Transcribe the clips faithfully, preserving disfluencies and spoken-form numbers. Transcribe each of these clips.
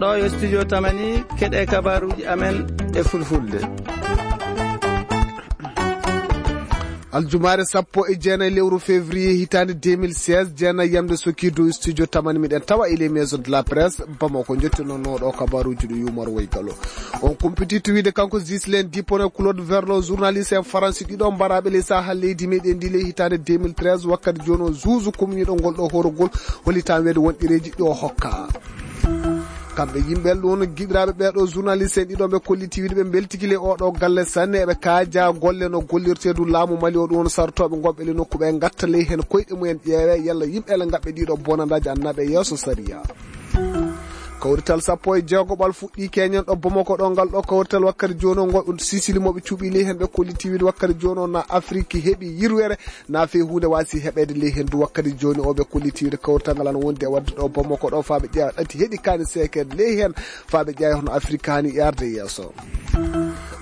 Ɗo yo studio Tamani, keɗe kabaruuji amen e fulfulde. Aljumaare sappo e jeenayi lewru février hitaande deux mille seize, jeenayi yamde sokirdu studio Tamani, miɗen tawa e les maisons de la presse Bamako, jottinoo ɗo kabaruuji ɗo yumor woy galo. On kumpitiiɗo wiide kanko Ghislain Dupont e Claude Verlon, journaliste en Faransi ɗiɗo mbaraaɓe ley saaha leydi meɗen ndi ley hitaande deux mille treize, wakkati jooni o juuju kumniiɗo ngol ɗo horogol, hollitaa weede won ɗereeji ɗi o hokka. Kamɓe yimɓe ɗon giɗiraaɓe ɓee ɗo journaliste en ɗiɗo ɓe kolliti wiide ɓe mbeltiki ley oo ɗo galle sanne, eɓe kaaja golle no gollirtee du laamu Mali o ɗum won sartooɓe ngonɓe ley nokku ɓe ngatta ley heen koyɗe mumen ƴeewe yalla yimɓe ele ngaɓɓe ɗiɗo bonandaaji ana naɓe yeeso sariya. Kawrital sappo e jeegoɓal fuɗɗii keñen ɗo Bamako ɗo ngal ɗo kawrital wakkati jooni o ngo Sisili mo ɓe cuɓi ley heen ɓe kolliti wiide wakkati jooni o na Afiriki heɓi yirwere na fii huunde waasi heɓeede ley heen du wakkati jooni o ɓe kolliti wiide kawrital ngal ana wondi e waɗde ɗo Bamako ɗo faa ɓe ƴeewa ɗati heɗi kaani seekeede ley heen faa ɓe ƴeewa hono Afiriki haani yarde yeeso.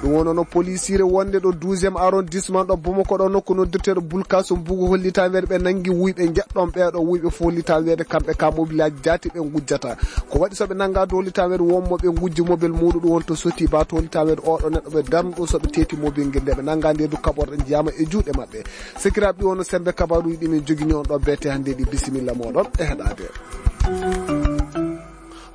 Ɗum wonno no polisiire wonde ɗo douzième arrondissement ɗo Bamako ɗo nokku noddirteeɗo Bulkaso Mbugu hollitaa weede ɓe nanngi wuyɓe njeɗɗon ɓee ɗo wuyɓe fof hollitaa weede kamɓe ka mobilaaji jaati ɓe ngujjata. Ko waɗi so ɓe nanngaa dow hollitaa weede won mo ɓe ngujji mobil muuɗum ɗum won to Soti ba to hollitaa weede oo ɗo neɗɗo ɓe darnu ɗum so ɓe teeti mobil ngel nde ɓe nanngaa nde du kaɓorɗe njiyaama e juuɗe maɓɓe. Sekiraaɓe ɗi wonno sembe kabaruuji ɗi min jogini on ɗo beete hannde ɗi bisimilla mooɗon e heɗaade.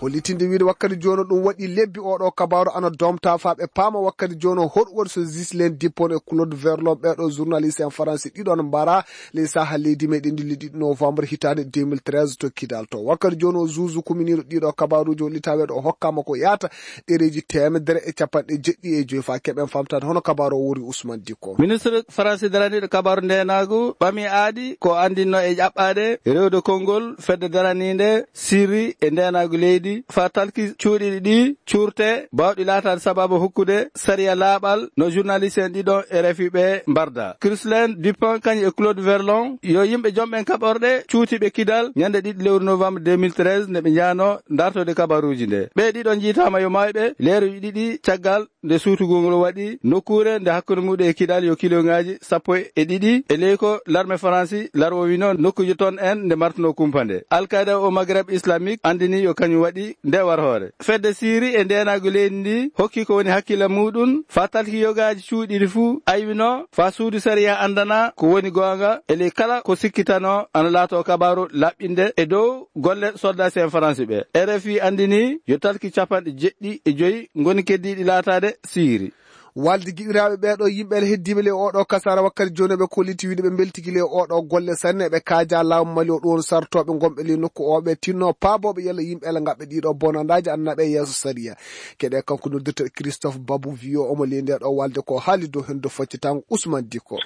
Hollitinde wiide wakkati jooni ɗum waɗi lebbi oo ɗo kabaaru ana domta faa ɓe paama wakkati jooni hoɗu waɗi so Ghislain Dupont e Claude Verlon ɓee ɗo journaliste en Faransi ɗiɗon mbara ley saaha leydi meɗen ndi le ɗiɗi novembre hitaande deux mille treize to Kidal to. Wakkati jooni o juuju kuminiiɗo ɗiɗo kabaaruuji hollita weede o hokkaama ko yaata ɗereeji teemedere e capanɗe jeɗɗi e joyi faa keɓen famtaade hono kabaaru o wori Ousmane Dicko. Ministre Faransi daraniiɗo kabaaru ndeenaagu ɓami aadi ko anndinno e ƴaɓɓaade rewde konngol fedde daraniinde sirri e ndeenaagu leydi, faa talki cuuɗiiɗi ɗi cuurte baawɗi laataade sabaabu hokkude sariya laaɓal no journaliste en ɗiɗo R F I ɓe mbarda. Ghislain Dupont kañum e Claude Verlon yo yimɓe jomɓen kaɓorɗe cuutiiɓe Kidal ñande ɗiɗi lewru novembre deux mille treize nde ɓe njaano dartode kabaruuji nde. Ɓe ɗiɗo njiitaama yo maayɓe leeruuji ɗiɗi caggal nde suutugol ngol waɗi nokkuure nde hakkunde muɗum e Kidal yo kiloŋaaji sappo e ɗiɗi e ley ko larme Faransi larwowino nokkuuje ton en nde martuno kumpa nde. Al Qaeda o Maghreb Islamique anndini yo kañum waɗi nde warhoore. Fedde Siri e ndeenaagu leydi ndi hokki ko woni hakkille muɗum faa talki yogaaji cuuɗiiɗi fuu aywino faa suudu sariya anndana ko woni goonga e ley kala ko sikkitano ana laato kabaaru laɓɓinde e dow golle soldaasi en Faransi ɓe. R F I anndini yo talki capanɗe jeɗɗi e joyi ngoni keddiiɗi laataade Siri. Walde giɗiraaɓe ɓee ɗo yimɓe ele heddiiɓe ley oo ɗo kasaara wakkati jooni ɓe kolliti wiide ɓe mbeltiki ley oo ɗo golle sanne ɓe kaaja laamu Mali o ɗum won sartooɓe ngonɓe ley nokku o ɓe tinno paabooɓe yalla yimɓe ele ngaɓɓe ɗiɗo bonandaaji ana naɓe yeeso sariya. Keɗe kanko noddirta Christophe Babou Vio omo ley nde ɗo walde ko haali dow heen dow faccitango Ousmane Dicko.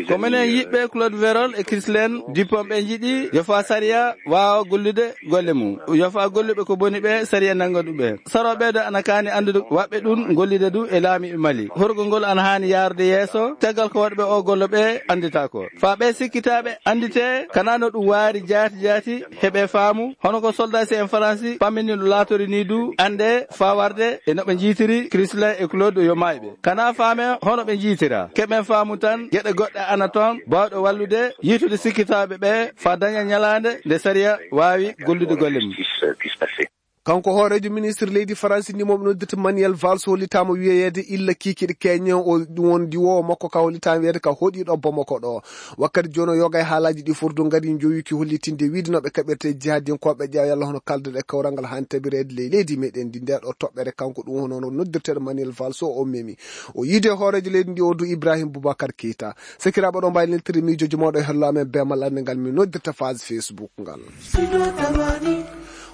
Ko menen yiɗɓe Claude Verlon e Ghislain Dupont ɓe njiɗi yo faa sariya waawa gollude golle mum. Yo faa golluɓe ko boni ɓe sariya nannga ɗum ɓe. Sarooɓe ɓee ɗo ana kaani anndude waɗɓe ɗum gollude du e laamiiɓe Mali. Horgol ngol ana haani yaarude yeeso. Caggal ko waɗɓe oo gollo ɓe annditaako. Faa ɓee sikkitaaɓe annditee kanaa no ɗum waari jaati jaati heɓee faamu. Hono ko soldaasi en Faransi pammini no laatori nii du anndee faa warde e no ɓe njiitiri Ghislain e Claude yo maayɓe. Kanaa faamee hono ɓe njiitira. Keɓen faamu tan geɗe goɗɗe ana toon baawɗe wallude yiitude sikkitaaɓe ɓee faa daña ñalaande nde sariya waawi gollude golle mum. Kanko hooreejo ministre leydi Faransi ndi mo ɓe noddirta Manuel Valls hollitaama wiyeede illa kiikiiɗe keñe o ɗum won diwoowo makko ka hollitaama wiyeede ka hoɗiiɗo Bamako ɗo. Wakkati jooni o yoga e haalaaji ɗi fof du ngari njowiiki hollitinde wiide no ɓe kaɓirte jihadinkooɓe ƴeewa yalla hono kalduɗe kawral ngal haani tabireede ley leydi meɗen ndi nde ɗo toɓɓere kanko ɗum hono no noddirteeɗo Manuel Valls o o memi. O yiide hooreejo leydi ndi o du Ibrahim Boubacar Keita. Sekiraaɓe ɗo mbaylintiri miijooji mawɗo e hello amen beemal annde ngal min noddirta phase Facebook ngal.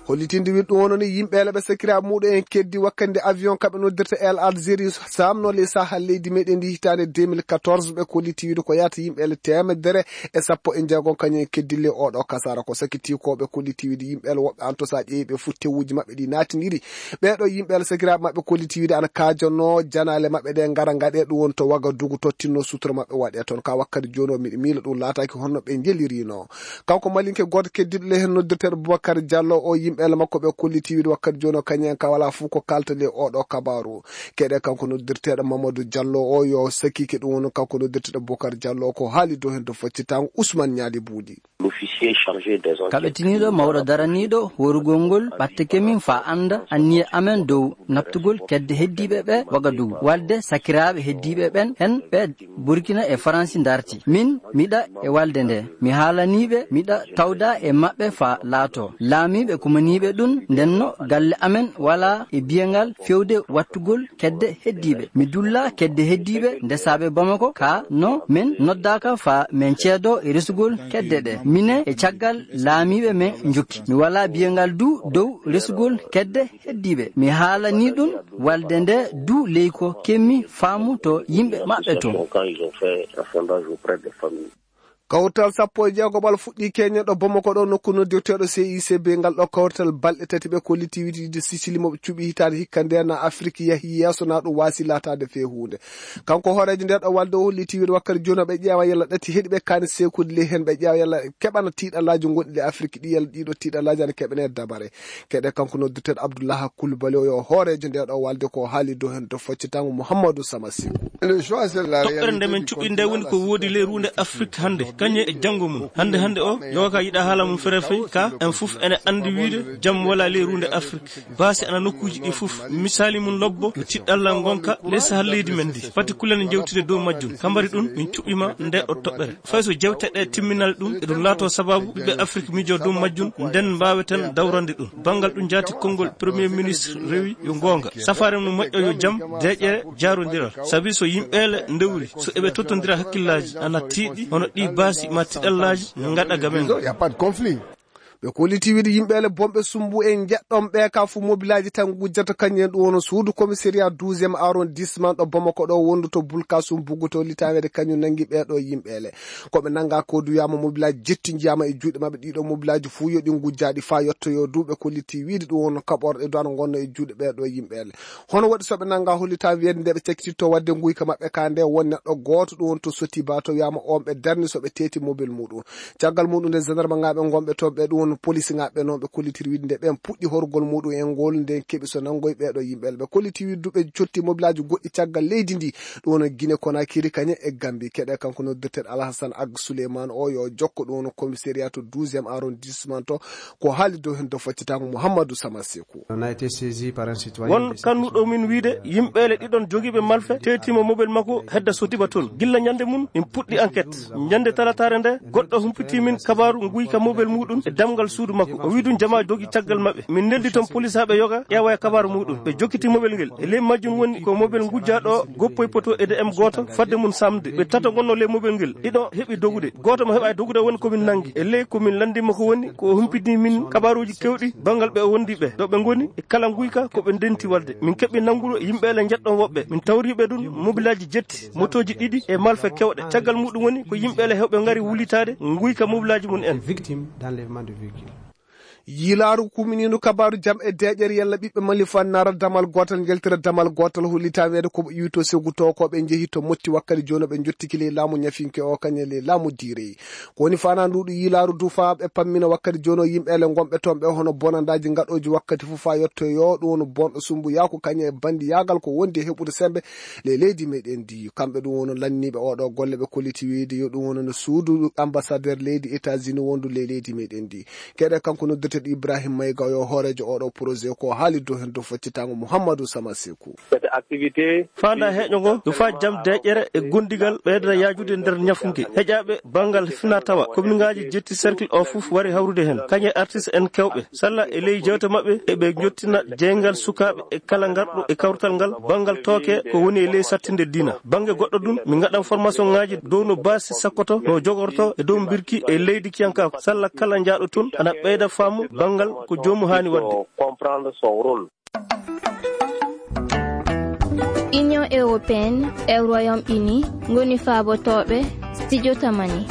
Hollitinde wiide ɗum wonno ni yimɓe ele ɓe sekiraaɓe muɗum en keddi wakkati nde avion kaɓe noddirta El Algérie samno ley sahal leydi meɗen ndi hitaande deux mille quatorze ɓe kolliti wiide ko yahata yimɓe ele teemedere e sappo e jeegom kañum en keddi ley oɗo kasara ko sakiti ko ɓe kolliti wiide yimɓe ele woɓɓe anto sa ƴeewi ɓe fof tewuji maɓɓe ɗi naatindiri ɓeeɗo yimɓe ele sakiraaɓe maɓɓe kolliti wiide ana kaajanno janaale maɓɓe ɗe ngara ngaɗe ɗum woni to Wagadugu tottinno sutura maɓɓe waɗe toon ka wakkati jooni o miɗo miila ɗum laataaki honno ɓe njelirino. Kanko malinke gooto keddiiɗo ley heen noddirteeɗo Boubacar Diallo o yimɓe ele makko ɓe kolliti wiide wakkati jooni o kañum en ka wala fof ko kalta ley oɗo kabaaru. Keɗe kanko noddirteeɗo Mamadou Diallo o yo sakike ɗum woni kanko noddirteeɗo Boubacar Diallo ko haali dow heen to foccitango Ousmane Ñaali Buuɗi. Kaɓetiniiɗo mawɗo daraniiɗo hoorugol ngol ɓattake min faa annda anniye amen dow naɓtugol kedde heddiiɓe ɓe Wagadugu. Walde sakiraaɓe heddiiɓe ɓen, en ɓe Burkina e Faransi ndarti. Min, miɗa e walde nde. Mi haalanii ɓe, miɗa tawda e maɓɓe faa laatoo laamiiɓe kumaniiɓe ɗum. Ndenno galle amen walaa e biyangal fewde wattugol kedde heddiiɓe. Mi dulla kedde heddiiɓe ndesaaɓe Bamako, kaa no men noddaaka faa men ceedoo e resugol kedde ɗe. Mine e caggal laamiiɓe men njokki. Mi walaa biyangal du dow resugol kedde heddiiɓe. Mi haalanii ɗum walde nde du ley ko kemmi faamu to yimɓe maɓɓe to. Kawtal sappo e jeegoɓal fuɗɗii Kenya ɗo Bamako ɗo, nokku noddirteeɗo C I C B. Ngal ɗo kawtal balɗe tati ɓe kollitiiwitiide Sicili mo ɓe cuɓi hitaande hikka nde na Afrik yahi yeeso na ɗum waasi laataade fee huunde. Kanko hooreejo nde ɗo walde o holliti wiide wakkati jooni ɓe ƴeewa yalla ɗati heɗi ɓe kaani sekude ley heen ɓe ƴeewa yalla keɓana tiiɗalaaji gonɗi ley Afrik ɗi yalla ɗiɗo tiiɗalaaji ana keɓane dabare. Keɗe kanko noddirteeɗo Abdullaha Kulbali o yo hooreejo nde ɗo walde ko haali dow heen to foccitaango Muhammadu Sama Seku. Toɓɓere nde men cuɓi nde woni ko woodi ley ruunde Afrik hannde, kañum e janngo mum. Hannde hannde o, yoga ka yiɗa haala mum fere fey, ka en fof ene anndi wiide jam wala ley ruunde Afrik. Baasi ana nokkuuji ɗi fof, misaali mum lobbo, yo tiɗɗalla ngonka ley sahal leydi men ndi. Pati kulen jewtide dow majjum. Kambari ɗum, min cuɓima nde o toɓɓere. Fay so jewte ɗe timminal ɗum, eɗum laato sababu ɓiɓɓe Afrik miijo dow majjum, nden mbaaweten dawrande ɗum. Banngal ɗum jaati konngol Premier Ministre rewi yo goonga. Safaare mum moƴƴo yo jam, deeƴere, jaarondiral. Sabi so yimɓeele ndewri, so eɓe tottondira hakkillaaji, ana tiiɗi, hono ɗi baasi ma tiɗallaaji, ngaɗa gamen. Il y a pas de conflit. Ɓe kolliti wiide yimɓeele bonɓe sumbu e njeɗɗon ɓe ka fu mobilaaji tan ngujjata kañum en ɗum wono suudu commissariat douzième arrondissement ɗo Bamako ɗo wonduto Bulkasum Buguto litaweede kañum nangi ɓee ɗo yimɓeele. Ko ɓe nanga ko du wiyaama mobilaaji jetti njiyaama e juuɗe maɓɓe ɗiɗo mobilaaji fuu yo ɗi ngujjaaɗi faa yottoyo du ɓe kolliti wiide ɗum wono kaɓorɗe du ana ngonno e juuɗe ɓee ɗo yimɓeele. Hono waɗi so ɓe nanga hollita wiyeede nde ɓe cakkititto waɗde nguyka maɓɓe ka nde won neɗɗo gooto ɗum won to Sotiba to wiyaama on ɓe darni so ɓe teeti mobel muɗum. Caggal muɗum nde gendarme ŋaaɓe gonɓe toon ɓe ɗum won police ŋaaɓe noon ɓe kollitiri wiide nde ɓen puɗɗi horgol muɗum en ngol nden keɓi so nanngoy ɓee ɗo yimɓe ɓe kolliti wiide du ɓe cotti mobilaaji goɗɗi caggal leydi ndi ɗum won Guinée Conakry kañe e Gambie keɗe kanko noddirteeɗo Alhassane Ag Souleymane o yo jokko ɗum won commissariat to douzième arrondissement to ko haali dow heen dow faccitaango Mouhamadou Sama Sekou. On a été saisi par un citoyen. Won kannuɗo min wiide yimɓeele ɗiɗon jogiiɓe malfe teetiima mobel makko hedda Sotiba toon. Gilla ñande mum min puɗɗi enquête. Ñande talataare nde goɗɗo humpitii min kabaaru nguyka mobel muɗum e damgal suudu makko. O wi'i ɗum jamaa jogi caggal maɓɓe. Min neldi toon polisaaɓe yoga ƴeewa e kabaaru muɗum. Ɓe jokkiti mobel ngel. E ley majjum woni ko mobel ngujjaaɗo goppoy poto e D M gooto fadde mum samde. Ɓe tato ngonno ley mobel ngel. Ɗiɗo heɓi dogude. Gooto mo heɓaay dogude woni ko min nangi. E ley ko min lanndima ko woni ko o humpitini min kabaaruuji kewɗi banngal ɓe o wondi ɓe. Ɗo ɓe ngoni e kala nguyka ko ɓe ndenti waɗde. Min keɓi nanngude yimɓe ele njeɗɗon woɓɓe. Min tawri ɓe ɗum mobilaaji jetti, motooji ɗiɗi e malfe kewɗe. Caggal muɗum woni ko yimɓe ele heewɓe ngari wulitaade nguyka mobilaaji mum en. Victime d'enlèvement de véhicule. Yiilaaru kuminiindu kabaaru jam e deeƴere yalla ɓiɓɓe Mali fannara damal gootal njeltira damal gootal hollita weede ko ɓe iwto segu to ko ɓe njehi to motti wakkati jooni ɓe njottiki ley laamu ñafinke o kañe ley laamu diireyi. Ko woni faanaa nduuɗu yiilaaru du faa ɓe pammina wakkati jooni o yimɓe ele ngonɓe toon ɓe hono bonandaaji ngaɗooji wakkati fof faa yottoyoo ɗum woni bonɗo sumbuyaaku kañe e bandiyaagal ko wondi e heɓude sembe ley leydi meɗen ndi. Kamɓe ɗum wono lanniiɓe oɗo golle ɓe kolliti wiide yo ɗum wono no suudu ambassadeur leydi États-Unis wondu ley leydi meɗen ndi. Keɗe kanko noddirteeɗo Ibrahim Mayga o yo hooreejo oɗo projet ko haali dow heen dow faccitango Mouhamadou Sama Sekou. Cette activité faanda heƴo ngo yo faa jam deeƴere e gondigal ɓeyda yaajude nder ñafunke. Heƴaaɓe banngal fina tawa, commune ngaaji jetti cercle o fof wari hawrude heen. Kañe artiste en kewɓe. Salla e ley jewte maɓɓe eɓe njottina jeyngal sukaaɓe e kala ngarɗo e kawtal ngal banngal tooke ko woni e ley sattinde diina. Bannge goɗɗo ɗum, min ngaɗan formation ngaaji dow no baasi sakkoto, no jogorto e dow mbirki e leydi kiyankaako. Salla kala njaaɗo toon ana ɓeyda faamu banngal ko joomu haani waɗde. Comprendre son rôle. Union européenne e Royaume-Uni ngoni faabotooɓe studio Tamani.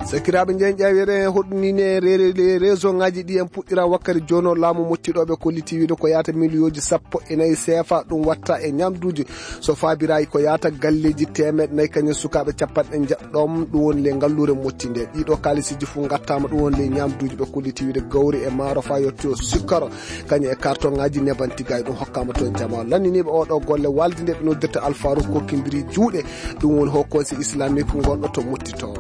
Sakiraaɓe njeeñ ƴaawere hoɗnine reere le réseau ngaji ɗi en puɗɗira wakkati jono laamu mottiɗoɓe kolliti wiide ko yaata miliyooji sappo e nayi C F A ɗum watta e ñamduuji. So faabiraaki ko yaata galleeji teemeɗɗe nayi kañum sukaaɓe capanɗe njeɗɗo ɗum woni ley ngalluure motti nde. Ɗiɗo kaalisiiji fof ngattaama ɗum woni ley ñamduuji ɓe kolliti wiide gawri e maaro faa yetto sukkaro kañum e carton ngaji nebanti gay ɗum hokkaama toon jamaa. Lanniniiɓe oɗo golle walde nde ɓe noddirta Alfaaruk kokkindiri juuɗe ɗum woni ho conseil islamique ngonɗo to motti toon.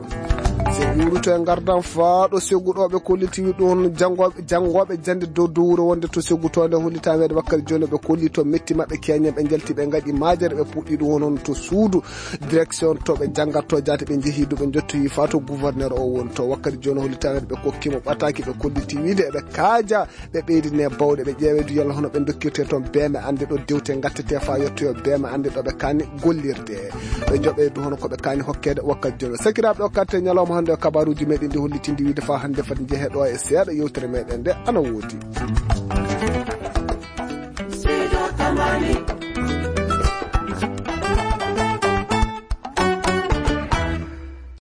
Se ɓuuruto e ngardan faa ɗo seguɗooɓe kollitiwi ɗum janngo- janngooɓe jannde dow dow wuro wonde to segutoonde hollitameede wakkati jooni ɓe kolli to metti maɓɓe keñen ɓe njalti ɓe ngaɗi maajere ɓe puɗɗi ɗum wonon to suudu direction to ɓe janngatto jaate ɓe njehi du ɓe njottoyi faa to gouverneur o woni to wakkati jooni hollitameede ɓe kokki mo ɓataaki ɓe kolliti wiide eɓe kaaja ɓe ɓeydine bawɗe ɓe ƴeewe du yalla hono ɓe dokkirte toon beeme annde ɗo dewte ngattete faa yettoyo beeme annde ɗo ɓe kaani gollirde ɓe joɓe du hono ko ɓe kaani hokkeede wakkati jooni sakiraaɓe o katte ñalawma hannde o kabaruuji meɗen ndi hollitindi wiide faa hannde fati njehe ɗo e seeɗa yewtere meɗen nde ana woodi